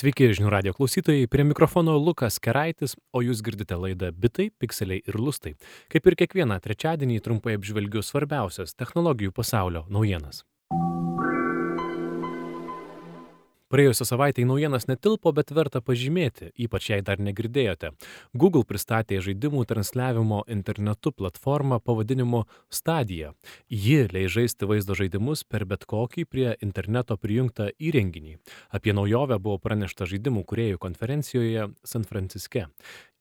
Sveiki, žinių radio klausytojai, prie mikrofono Lukas Keraitis, o jūs girdite laidą Bitai, Pikseliai ir Lustai. Kaip ir kiekvieną trečiadienį trumpai apžvelgiu svarbiausias technologijų pasaulio naujienas. Praėjusią savaitę į naujienas netilpo, bet verta pažymėti, ypač jei dar negirdėjote. Google pristatė žaidimų transliavimo internetu platformą pavadinimu Stadia. Ji leis žaisti vaizdo žaidimus per bet kokį prie interneto prijungtą įrenginį. Apie naujovę buvo pranešta žaidimų kūrėjų konferencijoje San Franciske.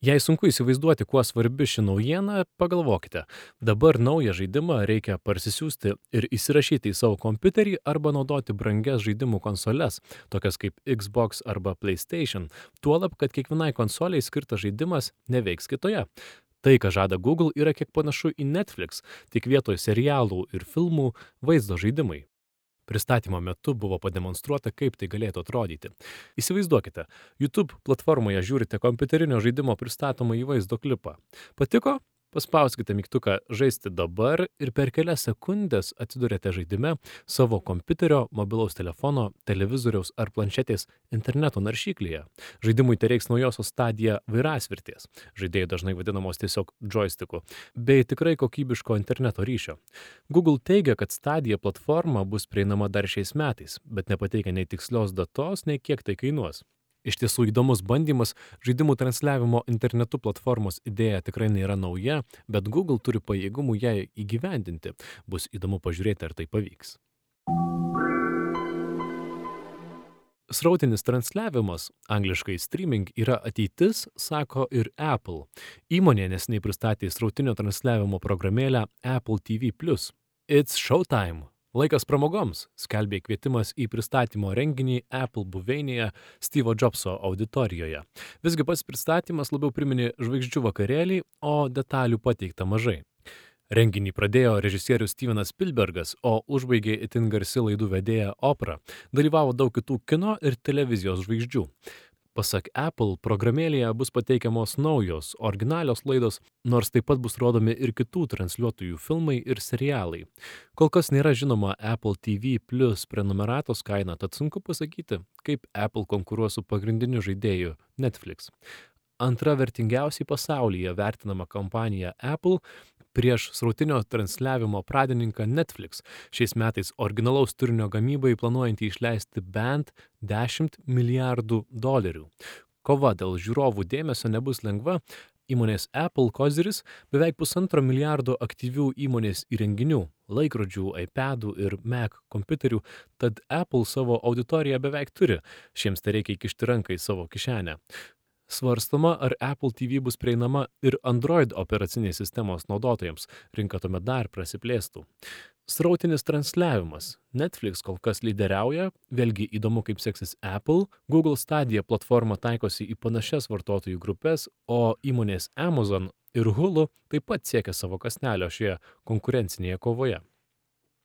Jei sunku įsivaizduoti, kuo svarbi ši naujiena, pagalvokite. Dabar naują žaidimą reikia parsisiųsti ir įsirašyti į savo kompiuterį arba naudoti brangias žaidimų konsoles, tokias kaip Xbox arba PlayStation, tuolab, kad kiekvienai konsoliai skirtas žaidimas neveiks kitoje. Tai, ką žada Google, yra kiek panašu į Netflix, tik vietoj serialų ir filmų vaizdo žaidimai. Pristatymo metu buvo pademonstruota, kaip tai galėtų atrodyti. Įsivaizduokite, YouTube platformoje žiūrite kompiuterinio žaidimo pristatomą į vaizdo klipą. Patiko? Paspauskite mygtuką žaisti dabar ir per kelias sekundės atsidurėte žaidime savo kompiuterio, mobilaus telefono, televizoriaus ar planšetės interneto naršyklyje. Žaidimui tereiks naujosios Stadia vairasvirties, žaidėjai dažnai vadinamos tiesiog joysticku, bei tikrai kokybiško interneto ryšio. Google teigia, kad Stadia platforma bus prieinama dar šiais metais, bet nepateikia nei tikslios datos, nei kiek tai kainuos. Iš tiesų įdomus bandymas, žaidimų transliavimo internetu platformos idėja tikrai nėra nauja, bet Google turi pajėgumų ją įgyvendinti. Bus įdomu pažiūrėti, ar tai pavyks. Srautinis transliavimas, angliškai streaming, yra ateitis, sako ir Apple. Įmonė neseniai pristatė srautinio transliavimo programėlę Apple TV+. It's showtime. Laikas pramogoms, skelbė kvietimas į pristatymo renginį Apple buveinėje Steve'o Jobso auditorijoje. Visgi pats pristatymas labiau priminė žvaigždžių vakarėlį, o detalių pateikta mažai. Renginį pradėjo režisierius Stevenas Spielbergas, o užbaigė itin garsi laidų vedėja Oprah. Dalyvavo daug kitų kino ir televizijos žvaigždžių. Pasak Apple, programėlėje bus pateikiamos naujos, originalios laidos, nors taip pat bus rodomi ir kitų transliuotojų filmai ir serialai. Kol kas nėra žinoma Apple TV Plus prenumeratos kaina, tad sunku pasakyti, kaip Apple konkuruos su pagrindiniu žaidėju Netflix. Antra vertingiausiai pasaulyje vertinama kompanija Apple prieš srautinio transliavimo pradininką Netflix, šiais metais originalaus turinio gamybai planuojantį išleisti bent $10 milijardų. Kova dėl žiūrovų dėmesio nebus lengva, įmonės Apple koziris beveik $1,5 milijardo aktyvių įmonės įrenginių, laikrodžių, iPadų ir Mac kompiuterių, tad Apple savo auditoriją beveik turi, šiems tai reikia įkišti ranką į savo kišenę. Svarstoma, ar Apple TV bus prieinama ir Android operacinės sistemos naudotojams, rinka tuomet dar prasiplėstų. Srautinis transliavimas. Netflix kol kas lyderiauja, vėlgi įdomu, kaip seksis Apple. Google Stadia platforma taikosi į panašias vartotojų grupės, o įmonės Amazon ir Hulu taip pat siekia savo kąsnelio šioje konkurencinėje kovoje.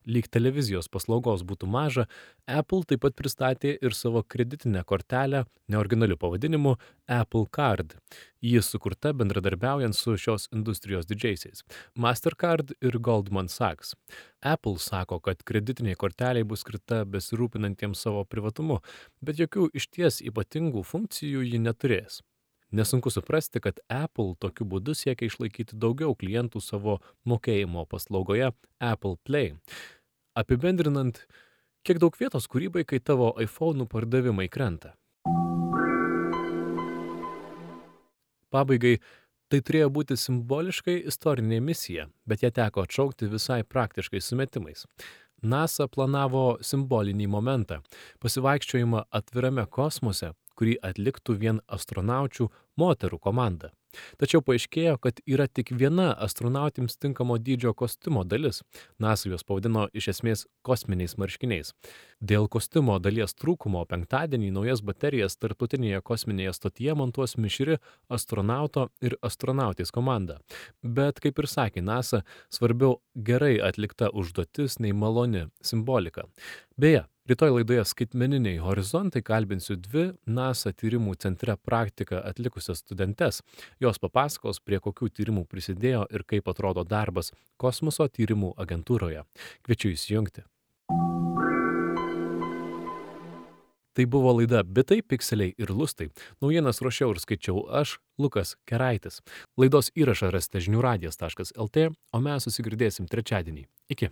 Lyg televizijos paslaugos būtų maža, Apple taip pat pristatė ir savo kreditinę kortelę neoriginaliu pavadinimu Apple Card. Ji sukurta bendradarbiaujant su šios industrijos didžiaisiais – Mastercard ir Goldman Sachs. Apple sako, kad kreditiniai korteliai bus skirta besirūpinantiems savo privatumu, bet jokių išties ypatingų funkcijų ji neturės. Nesunku suprasti, kad Apple tokiu būdu siekia išlaikyti daugiau klientų savo mokėjimo paslaugoje Apple Play. Apibendrinant, kiek daug vietos kūrybai, kai tavo iPhone'ų pardavimai krenta. Pabaigai, tai turėjo būti simboliškai istorinė misija, bet ją teko atšaukti visai praktiškais sumetimais. NASA planavo simbolinį momentą – pasivaikščiojimą atvirame kosmose, kurį atliktų vien astronaučių moterų komanda. Tačiau paaiškėjo, kad yra tik viena astronautims tinkamo dydžio kostiumo dalis. NASA juos pavadino iš esmės kosminiais marškiniais. Dėl kostiumo dalies trūkumo penktadienį naujas baterijas tarptautinėje kosminėje stotyje montuos mišri astronauto ir astronautės komanda. Bet, kaip ir sakė NASA, svarbiau gerai atlikta užduotis nei maloni simbolika. Beje, rytoj laidoje Skaitmeniniai horizontai kalbinsiu dvi NASA tyrimų centre praktiką atlikusias studentes. Jos papasakos, prie kokių tyrimų prisidėjo ir kaip atrodo darbas kosmoso tyrimų agentūroje. Kviečiu įsijungti. Tai buvo laida Bitai, pikseliai ir lustai. Naujienas ruošiau ir skaičiau aš, Lukas Keraitis. Laidos įrašą rasite žiniųradijas.lt, o mes susigirdėsim trečiadienį. Iki.